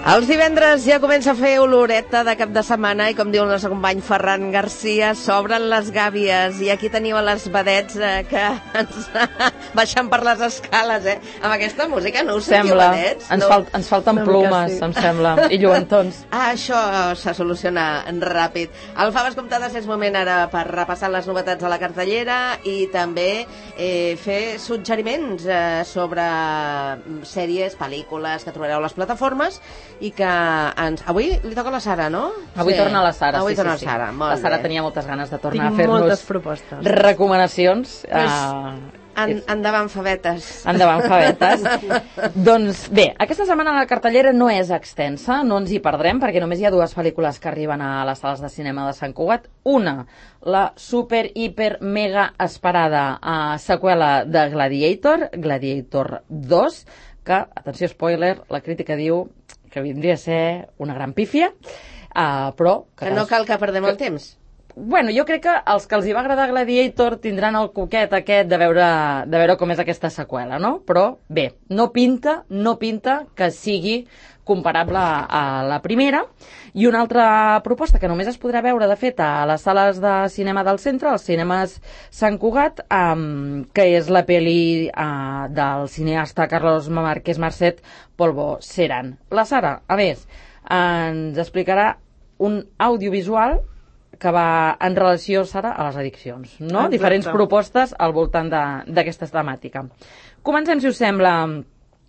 Els divendres ja comença a fer oloreta de cap de setmana i, com diu el nostre company Ferran Garcia, s'obren les gàbies i aquí teniu les vedets que ens baixen per les escales, amb aquesta música. No us sentiu vedets? Ens falten plumes, em sembla, i lluentons. Això se soluciona ràpid. Al Faves Comptades és moment ara per repassar les novetats a la cartellera i també fer suggeriments sobre sèries, pel·lícules que trobareu a les plataformes i que avui li toca a la Sara, no? Avui torna la Sara, avui sí, torna sí. La Sara, molt la Sara bé. tenia moltes ganes de tornar Tinc a fer-nos moltes propostes. Recomanacions. Endavant, favetes. Endavant, favetes. Doncs bé, aquesta setmana la cartellera no és extensa, no ens hi perdrem, perquè només hi ha dues pel·lícules que arriben a les sales de cinema de Sant Cugat. Una, la super, hiper, mega esperada seqüela de Gladiator, Gladiator 2, que, atenció, spoiler, la crítica diu que vindria a ser una gran pífia, però... Que no cal que perdem el temps. Bueno, jo crec que els que els hi va agradar Gladiator tindran el coquet aquest de veure com és aquesta seqüela, no? Però bé, no pinta que sigui comparable a la primera. I una altra proposta que només es podrà veure, de fet, a les sales de cinema del centre, als cinemes Sant Cugat, que és la pel·li del cineasta Carlos Márquez Marcet, Polvo Serán. La Sara, a més, ens explicarà un audiovisual que va en relació, Sara, a les addiccions, no? Exacte. Diferents propostes al voltant d'aquesta temàtica. Comencem, si us sembla,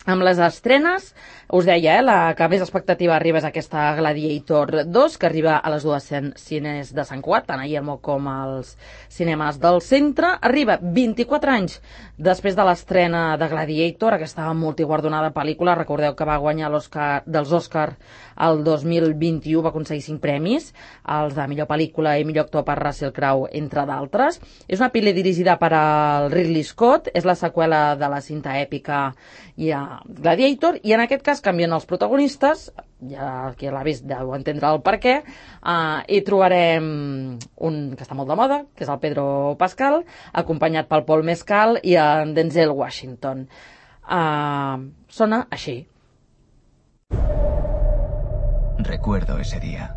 amb les estrenes. Us deia, la que més expectativa arriba és aquesta Gladiator 2, que arriba a les dues cines de Sant Cugat, tant a Yelmo com als cinemes del centre. Arriba 24 anys després de l'estrena de Gladiator, aquesta multiguardonada pel·lícula. Recordeu que va guanyar l'Oscar dels Oscar el 2021, va aconseguir 5 premis, els de millor pel·lícula i millor actor per Russell Crowe, entre d'altres. És una pel·li dirigida per al Ridley Scott, és la seqüela de la cinta èpica Gladiator, i en aquest cas canvien els protagonistes, ja qui l'ha vist deu entendre el per què, i trobarem un que està molt de moda, que és el Pedro Pascal, acompanyat pel Paul Mescal i en Denzel Washington. Sona així. Recuerdo ese día.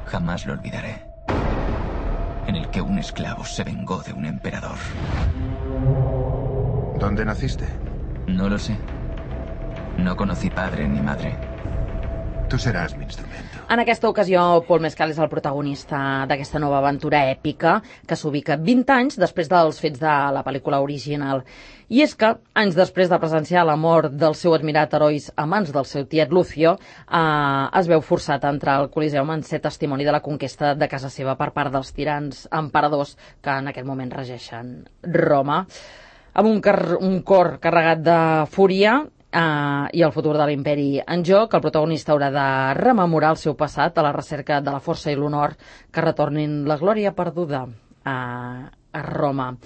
Jamás lo olvidaré. En el que un esclavo se vengó de un emperador. ¿Dónde naciste? No lo sé. No conocí padre ni madre. Tú serás mi instrumento. En aquesta ocasió, Paul Mescal és el protagonista d'aquesta nova aventura èpica que s'ubica 20 anys després dels fets de la pel·lícula original. I és que, anys després de presenciar la mort del seu admirat heroi a mans del seu tiet Lucio, es veu forçat a entrar al Coliseum en ser testimoni de la conquesta de casa seva per part dels tirans emperadors que en aquest moment regeixen Roma. Amb un cor carregat de fúria i el futur de l'imperi en joc, el protagonista haurà de rememorar el seu passat a la recerca de la força i l'honor que retornin la glòria perduda a Roma.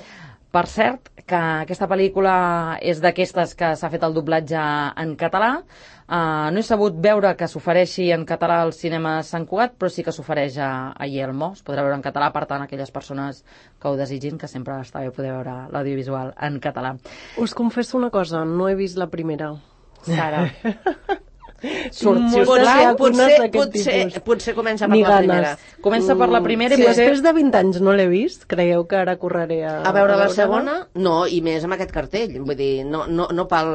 Per cert, que aquesta pel·lícula és d'aquestes que s'ha fet el doblatge en català. No he sabut veure que s'ofereixi en català al cinema Sant Cugat, però sí que s'ofereix a Yelmo. Es podrà veure en català, per tant, aquelles persones que ho desitgin, que sempre està bé poder veure l'audiovisual en català. Us confesso una cosa, no he vist la primera. Sara. Potser comença per la primera. Comença per la primera Si i potser... després de 20 anys no l'he vist, creieu que ara correré a veure la segona? No, i més amb aquest cartell. Vull dir, no pel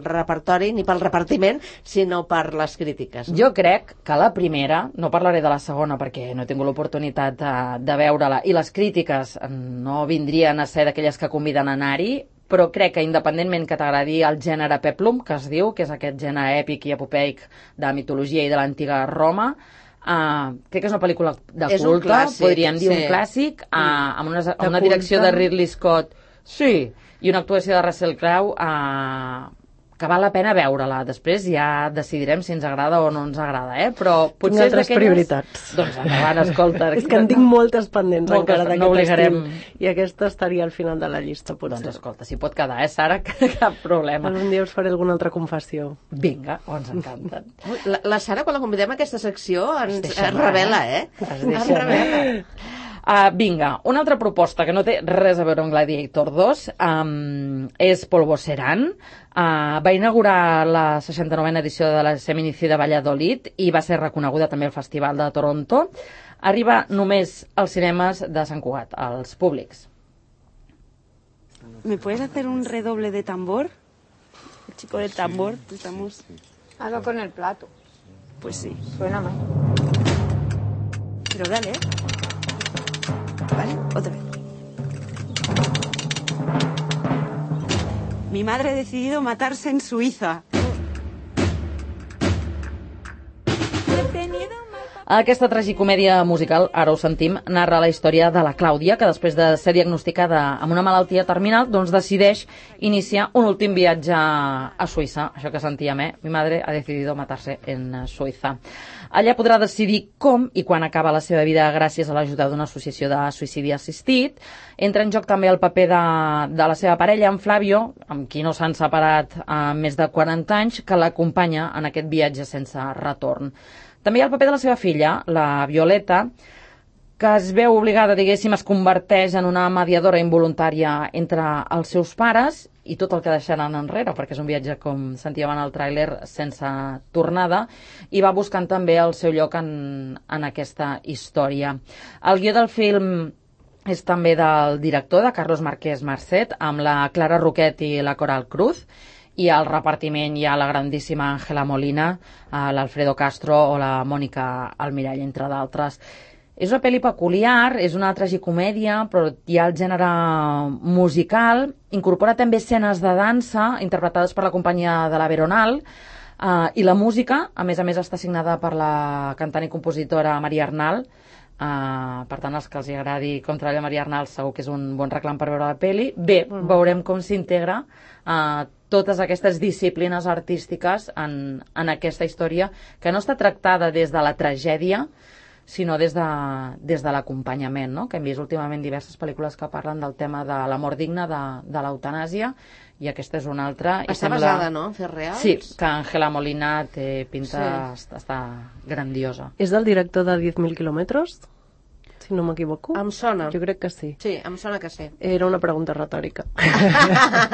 repertori ni pel repartiment, sinó per les crítiques. Jo crec que la primera, no parlaré de la segona perquè no he tingut l'oportunitat de veure-la, i les crítiques no vindrien a ser d'aquelles que conviden a anar-hi, però crec que independentment que t'agradi el gènere peplum, que es diu, que és aquest gènere èpic i epopeic de mitologia i de l'antiga Roma, crec que és una pel·lícula de culte, clàssic, podríem dir un clàssic, amb una direcció de Ridley Scott, sí, i una actuació de Russell Crowe que val la pena veure-la. Després ja decidirem si ens agrada o no ens agrada, però potser tinc altres prioritats. Doncs endavant, escolta. És que en tinc moltes pendents encara d'aquest estiu. I aquesta estaria al final de la llista, potser. Doncs escolta, si pot quedar, Sara, cap problema. Algun dia us faré alguna altra confessió. Vinga, ens encanta. La Sara, quan la convidem a aquesta secció, ens revela, Es revela. Vinga, una altra proposta que no té res a veure amb Gladiator 2 és Polvo Serán. Va inaugurar la 69a edició de la Seminicida Valladolid i va ser reconeguda també al Festival de Toronto. Arriba només als cinemes de Sant Cugat, als públics. ¿Me puedes hacer un redoble de tambor? El chico del tambor, estamos... Hazlo con el plato. Pues sí. Suena mal. Pero dale, ¿eh? Vale, otra vez. Mi madre ha decidido matarse en Suiza. Aquesta tragicomèdia musical, ara ho sentim, narra la història de la Clàudia, que després de ser diagnosticada amb una malaltia terminal, doncs decideix iniciar un últim viatge a Suïssa. Això que sentíem, Mi madre ha decidido matarse en Suïssa. Allà podrà decidir com i quan acaba la seva vida gràcies a l'ajuda d'una associació de suïcidi assistit. Entra en joc també el paper de la seva parella, en Flavio, amb qui no s'han separat més de 40 anys, que l'acompanya en aquest viatge sense retorn. També hi ha el paper de la seva filla, la Violeta, que es veu obligada, diguéssim, es converteix en una mediadora involuntària entre els seus pares i tot el que deixaran enrere, perquè és un viatge, com sentíem en el tràiler, sense tornada, i va buscant també el seu lloc en aquesta història. El guió del film és també del director, de Carlos Marquès Marcet, amb la Clara Roquet i la Coral Cruz, i al repartiment hi ha la grandíssima Ángela Molina, l'Alfredo Castro o la Mònica Almirall, entre d'altres. És una pel·li peculiar, és una tragicomèdia, però hi ha el gènere musical, incorpora també escenes de dansa interpretades per la companyia de la Veronal, i la música, a més, està signada per la cantant i compositora Maria Arnal. Per tant, els que els agradi com treballa Maria Arnal segur que és un bon reclam per veure la pel·li. Bé, veurem com s'integra totes aquestes disciplines artístiques en aquesta història, que no està tractada des de la tragèdia, sinó des de l'acompanyament, no? Que hem vist últimament diverses pel·lícules que parlen del tema de la mort digna, de l'eutanàsia, i aquesta és una altra. Està basada, no?, en fets reals? Sí, que Ángela Molina té pinta, està grandiosa. És del director de 10.000 quilòmetres? Si no m'equivoco. Em sona. Jo crec que sí. Sí, em sona que sí. Era una pregunta retòrica.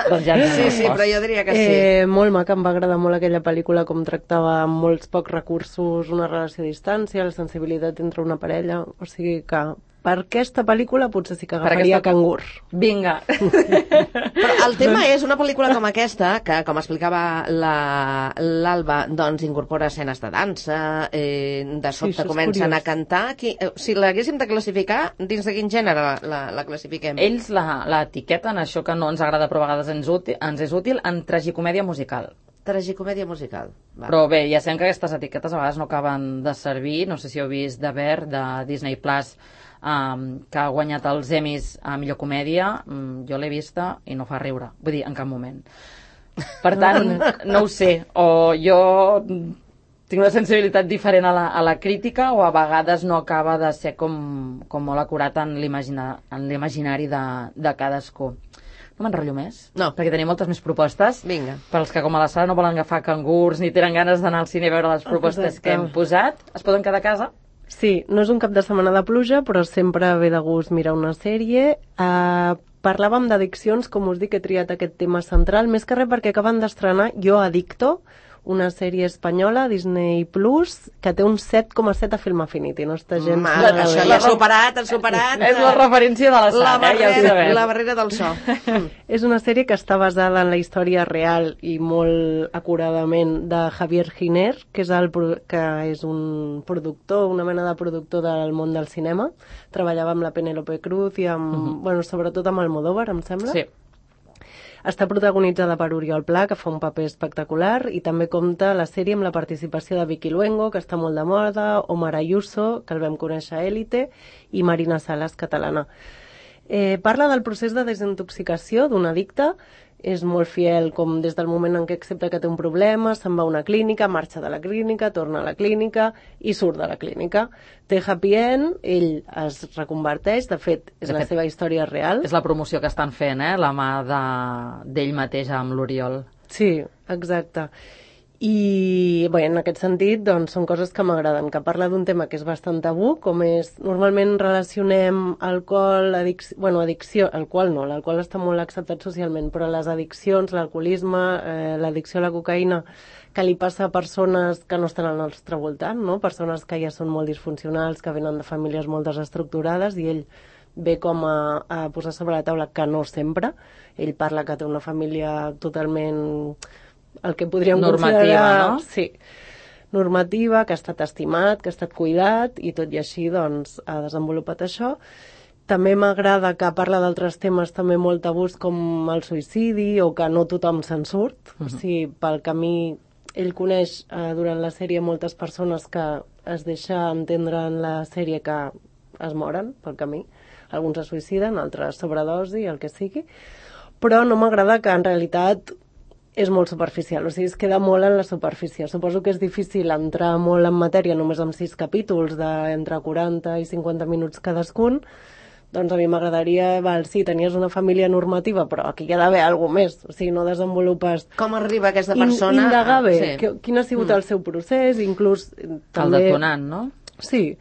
Doncs ja sí, però jo diria que sí. Molt maca, em va agradar molt aquella pel·lícula, com tractava amb molts pocs recursos una relació a distància, la sensibilitat entre una parella, o sigui que per aquesta pel·lícula potser sí que agafaria Cangur. Vinga. Però el tema és una pel·lícula com aquesta, que, com explicava l'Alba, doncs incorpora escenes de dansa, de sobte comencen a cantar. Si l'haguéssim de classificar, dins de quin gènere la classifiquem? Ells l'etiqueten, això que no ens agrada però a vegades ens és útil, en tragicomèdia musical. Tragicomèdia musical. Va. Però bé, ja sabem que aquestes etiquetes a vegades no acaben de servir. No sé si heu vist The Bear, de Disney Plus, que ha guanyat els Emmys a millor comèdia. Jo l'he vista i no fa riure. Vull dir, en cap moment. Per tant, no ho sé. O jo tinc una sensibilitat diferent a la crítica, o a vegades no acaba de ser com molt acurat en l'imaginari de cadascú. No m'enrotllo més? No. Perquè tenim moltes més propostes. Vinga. Per als que, com a la Sara, no volen agafar cangurs ni tenen ganes d'anar al cine a veure les propostes que hem posat, es poden quedar a casa? Sí, no és un cap de setmana de pluja, però sempre ve de gust mirar una sèrie. Parlàvem d'addiccions, com us dic, he triat aquest tema central, més que res perquè acaben d'estrenar Jo Adicto, una sèrie espanyola, Disney Plus, que té un 7,7 a Film Affinity. No està gens... Això ja ha superat. És la referència de la Sara, ja ho sabem. La barrera del so. És una sèrie que està basada en la història real i molt acuradament de Javier Giner, que és un productor, una mena de productor del món del cinema. Treballava amb la Penélope Cruz i amb, sobretot amb Almodóvar, em sembla. Sí. Està protagonitzada per Oriol Pla, que fa un paper espectacular, i també compta la sèrie amb la participació de Vicky Luengo, que està molt de moda, Omar Ayuso, que el vam conèixer a Élite, i Marina Salas, catalana. Parla del procés de desintoxicació d'un addicte. És molt fiel, com des del moment en què accepta que té un problema, se'n va a una clínica, marxa de la clínica, torna a la clínica i surt de la clínica. Té happy end, ell es reconverteix, de fet, és la seva història real. És la promoció que estan fent, la mà d'ell mateix amb l'Oriol. Sí, exacte. I bé, en aquest sentit doncs, són coses que m'agraden, que parla d'un tema que és bastant tabú, com és, normalment relacionem alcohol, addicció, alcohol no, l'alcohol està molt acceptat socialment, però les addiccions, l'alcoholisme, l'addicció a la cocaïna, que li passa a persones que no estan al nostre voltant, no? Persones que ja són molt disfuncionals, que venen de famílies molt desestructurades, i ell ve com a posar sobre la taula que no sempre. Ell parla que té una família totalment el que podríem normativa, considerar... no? Sí, normativa, que ha estat estimat, que ha estat cuidat, i tot i així doncs, ha desenvolupat això. També m'agrada que parla d'altres temes també molt tabús com el suïcidi o que no tothom se'n surt. O sigui, pel camí, ell coneix durant la sèrie moltes persones que es deixa entendre en la sèrie que es moren pel camí. Alguns es suïciden, altres sobredosi, el que sigui. Però no m'agrada que en realitat és molt superficial, o sigui, es queda molt en la superfície. Suposo que és difícil entrar molt en matèria només amb 6 capítols d'entre 40 i 50 minuts cadascun. Doncs a mi m'agradaria, sí, tenies una família normativa, però aquí hi ha d'haver alguna més, o sigui, no desenvolupes... Com arriba aquesta persona... Indagar bé, Sí. quin ha sigut el seu procés, inclús... El detonant, no? Sí,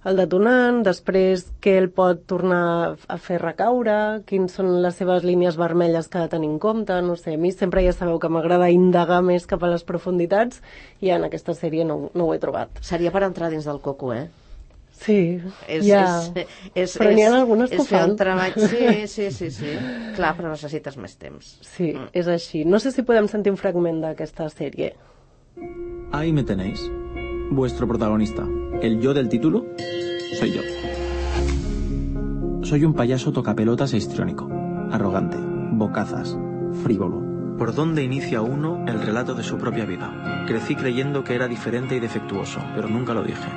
el detonant, després què el pot tornar a fer recaure, quins són les seves línies vermelles que ha de tenir en compte, no sé, a mi sempre ja sabeu que m'agrada indagar més cap a les profunditats i en aquesta sèrie no ho he trobat. Seria per entrar dins del coco, Sí, però n'hi ha algunes que ho fer fan. un treball... Sí. Clar, però necessites més temps. Sí, és així. No sé si podem sentir un fragment d'aquesta sèrie. Ahí me tenéis. Vuestro protagonista. El yo del título soy yo. Soy un payaso tocapelotas e histriónico, arrogante, bocazas, frívolo. ¿Por dónde inicia uno el relato de su propia vida? Crecí creyendo que era diferente y defectuoso, pero nunca lo dije.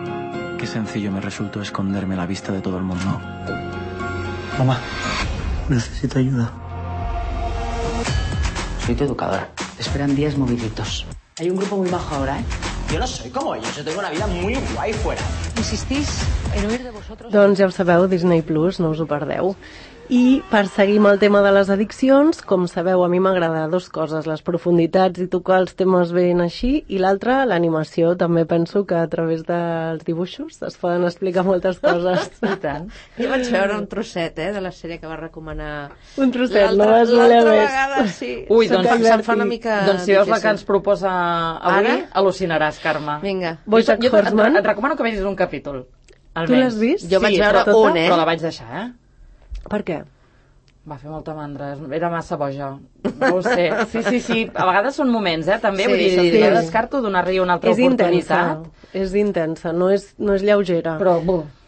Qué sencillo me resultó esconderme a la vista de todo el mundo. Mamá, necesito ayuda. Soy tu educadora. Te esperan días moviditos. Hay un grupo muy bajo ahora, ¿eh? Yo no soy como ellos, yo tengo una vida muy guay fuera. Insistís en huir de vosotros... Doncs ja ho sabeu, Disney Plus, no us ho perdeu. I per seguir amb el tema de les addiccions, com sabeu, a mi m'agrada dues coses, les profunditats i tocar els temes ben així, i l'altra, l'animació. També penso que a través dels dibuixos es poden explicar moltes coses. I tant. Jo vaig veure un trosset, de la sèrie que va recomanar... Un trosset, no vas voler L'altra més. vegada, sí. Ui, doncs se'm fa una mica Doncs si veus la que difícil. ens proposa avui, Ara? al·lucinaràs, Carme. Vinga. Bojack Horseman. Et recomano que vegis un capítol. Tu Almenys. l'has vist? Jo vaig veure però, un, però la vaig deixar, Per què? Va fer molta mandra, era massa boja. No ho sé. Sí. A vegades són moments, també. Sí, Vull dir, sí. no descarto donar-li una altra oportunitat. És intensa, no és lleugera. Però,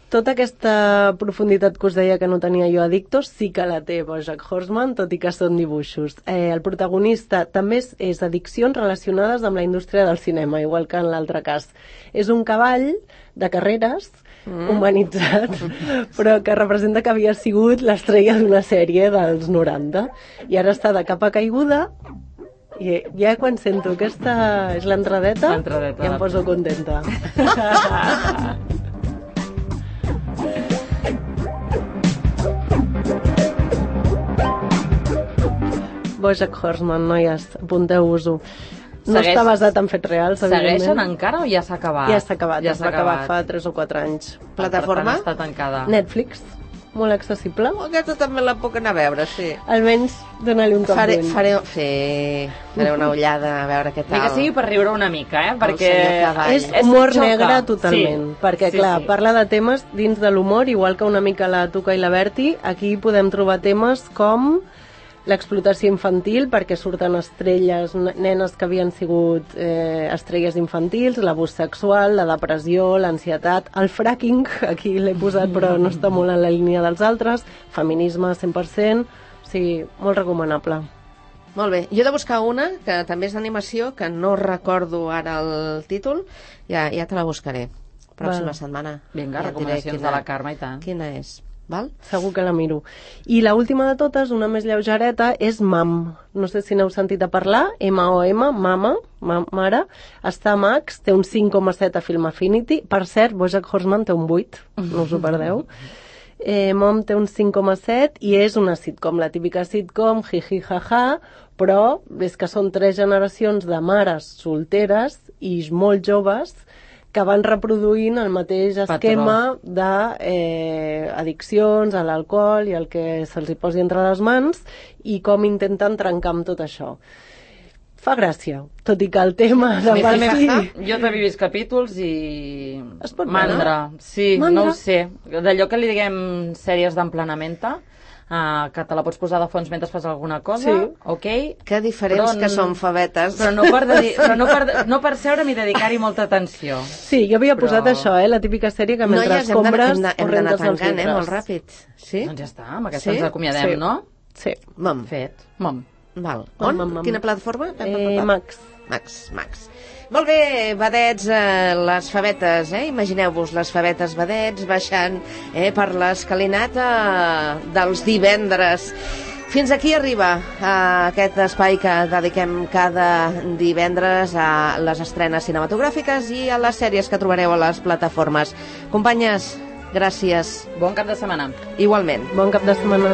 Tota aquesta profunditat que us deia que no tenia jo Addictos sí que la té Bojack Horseman, tot i que són dibuixos. El protagonista també és addiccions relacionades amb la indústria del cinema, igual que en l'altre cas. És un cavall de carreres humanitzat, però que representa que havia sigut l'estrella d'una sèrie dels 90. I ara està de capa caiguda i ja quan sento aquesta és l'entradeta, ja em poso contenta. Bojack Horseman, noies, apunteu-vos-ho. No està basat en fets reals, evidentment. Segueixen encara o ja s'ha acabat? Ja s'ha acabat, es va acabar fa 3 o 4 anys. Plataforma? Està tancada. Netflix, molt accessible. Aquesta també la puc anar a veure, sí. Almenys donar-li un cop d'ull. Faré una ullada a veure què tal. Ni que sigui per riure una mica, perquè... És humor negre totalment, perquè clar, parla de temes dins de l'humor, igual que una mica la Tuca i la Berti, aquí podem trobar temes com l'explotació infantil, perquè surten estrelles, nenes que havien sigut estrelles infantils, l'abús sexual, la depressió, l'ansietat, el fracking, aquí l'he posat però no està molt en la línia dels altres, feminisme 100%, o sigui, molt recomanable. Molt bé, jo he de buscar una que també és d'animació, que no recordo ara el títol, ja te la buscaré. Pròxima setmana. Vinga, recomanacions de la Carme i tant. Quina és? Val? Segur que la miro. I l'última de totes, una més lleugereta, és Mam. No sé si n'heu sentit a parlar. M-O-M, Mama, mare. Està a Max, té un 5,7 a Film Affinity. Per cert, Bojack Horseman té un 8, no us ho perdeu. Mom té un 5,7 i és una sitcom, la típica sitcom, jiji, jaja, però és que són 3 generacions de mares solteres i molt joves que van reproduint el mateix esquema d'addiccions a l'alcohol i el que se'ls hi posi entre les mans i com intenten trencar amb tot això. Fa gràcia, tot i que el tema de Jo també he vist capítols i... Es pot mandra. Sí, mandra? No ho sé. D'allò que li diguem sèries d'emplenamenta, que te la pots posar de fons mentre fas alguna cosa, sí. Ok. Que diferents que són favetes. Però no per seure'm i dedicar-hi molta atenció. Sí, jo havia posat això, la típica sèrie que mentre compres hem d'anar tancant, molt ràpid. Sí? Doncs ja està, amb aquesta ens acomiadem, no? Sí. Mom. Fet. Mom. Val. On? Quina plataforma? Max. Molt bé, vedets, les favetes, imagineu-vos les favetes vedets baixant per l'escalinata dels divendres. Fins aquí arriba aquest espai que dediquem cada divendres a les estrenes cinematogràfiques i a les sèries que trobareu a les plataformes. Companyes, gràcies. Bon cap de setmana. Igualment. Bon cap de setmana.